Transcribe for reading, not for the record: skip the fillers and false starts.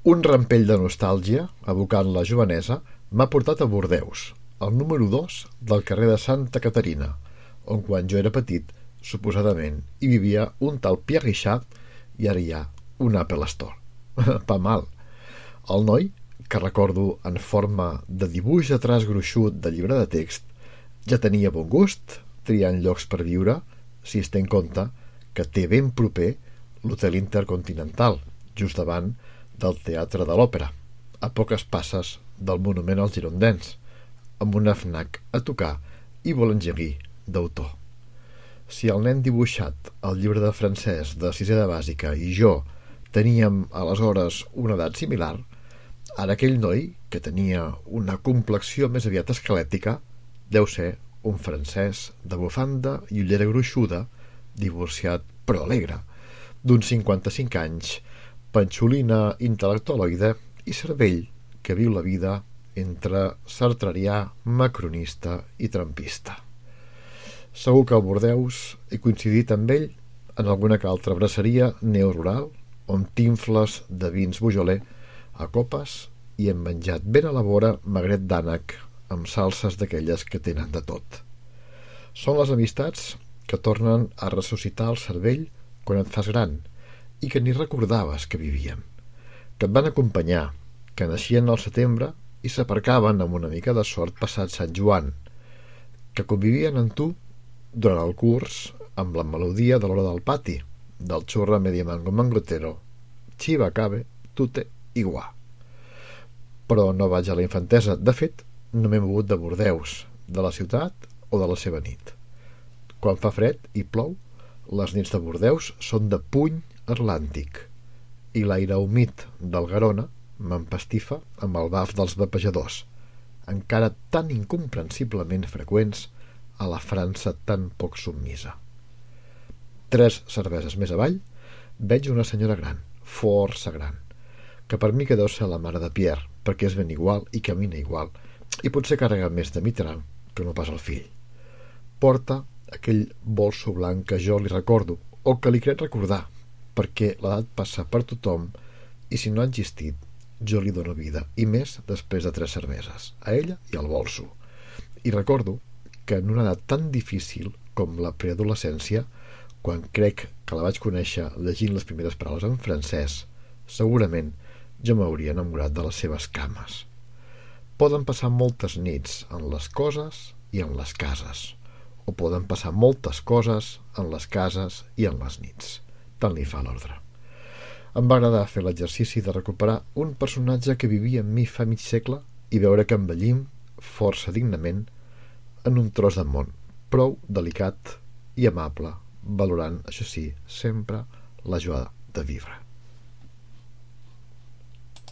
Un rampell de nostàlgia, evocant la jovenesa, m'ha portat a Bordeus, al número 2 del carrer de Santa Caterina, on quan jo era petit, suposadament, hi vivia un tal Pierre Richard i ara hi ha un Apple Store. Pa mal. El noi, que recordo en forma de dibuix de traç gruixut de llibre de text, ja tenia bon gust, triant llocs per viure, si es té en compte que té ben proper l'Hotel Intercontinental, just davant del Teatre de l'Òpera, a poques passes del Monument als Girondins, amb una FNAC a tocar i boulangerie d'autor. Si el nen dibuixat al llibre de francès de sisè de bàsica i jo teníem aleshores una edat similar, ara aquell noi, que tenia una complexió més aviat esquelètica, deu ser un francès de bufanda i ullera gruixuda, divorciat però alegre, d'uns 55 anys, panxolina intel·lectualoide i cervell que viu la vida entre sartrerià, macronista i trampista. Segur que a Bordeus he coincidit amb ell en alguna que altra braceria neorural on t'infles de vins Beaujolais a copes i hem menjat ben a la vora magret d'ànec amb salses d'aquelles que tenen de tot. Són les amistats que tornen a ressuscitar el cervell quan et fas gran i que ni recordaves que vivien, que et van acompanyar, que naixien al setembre i s'aparcaven amb una mica de sort passat Sant Joan, que convivien amb tu durant el curs amb la melodia de l'hora del pati, del xurra media mango mangotero, chiva cabe, tute i guà. Però no vaig a la infantesa. De fet, no m'he mogut de Bordeus, de la ciutat o de la seva nit. Quan fa fred i plou, les nits de Bordeus són de puny atlàntic i l'aire humit del Garona m'empastifa amb el baf dels vapejadors, encara tan incomprensiblement freqüents a la França tan poc submisa. 3 cerveses més avall veig una senyora gran, força gran, que per mi que deu ser la mare de Pierre, perquè és ben igual i camina igual, i potser carrega més de mitral que no pas el fill. Porta aquell bolso blanc que jo li recordo, o que li crec recordar, perquè l'edat passa per tothom i si no ha existit, jo li dono vida, i més després de 3 cerveses, a ella i al bolso. I recordo que en una edat tan difícil com la preadolescència, quan crec que la vaig conèixer llegint les primeres paraules en francès, segurament jo m'hauria enamorat de les seves cames. Poden passar moltes nits en les coses i en les cases, o poden passar moltes coses en les cases i en les nits. Tant li fa l'ordre. Em va agradar fer l'exercici de recuperar un personatge que vivia amb mi fa mig segle i veure que envellim força dignament en un tros de món prou delicat i amable, valorant, això sí, sempre la joia de vivre.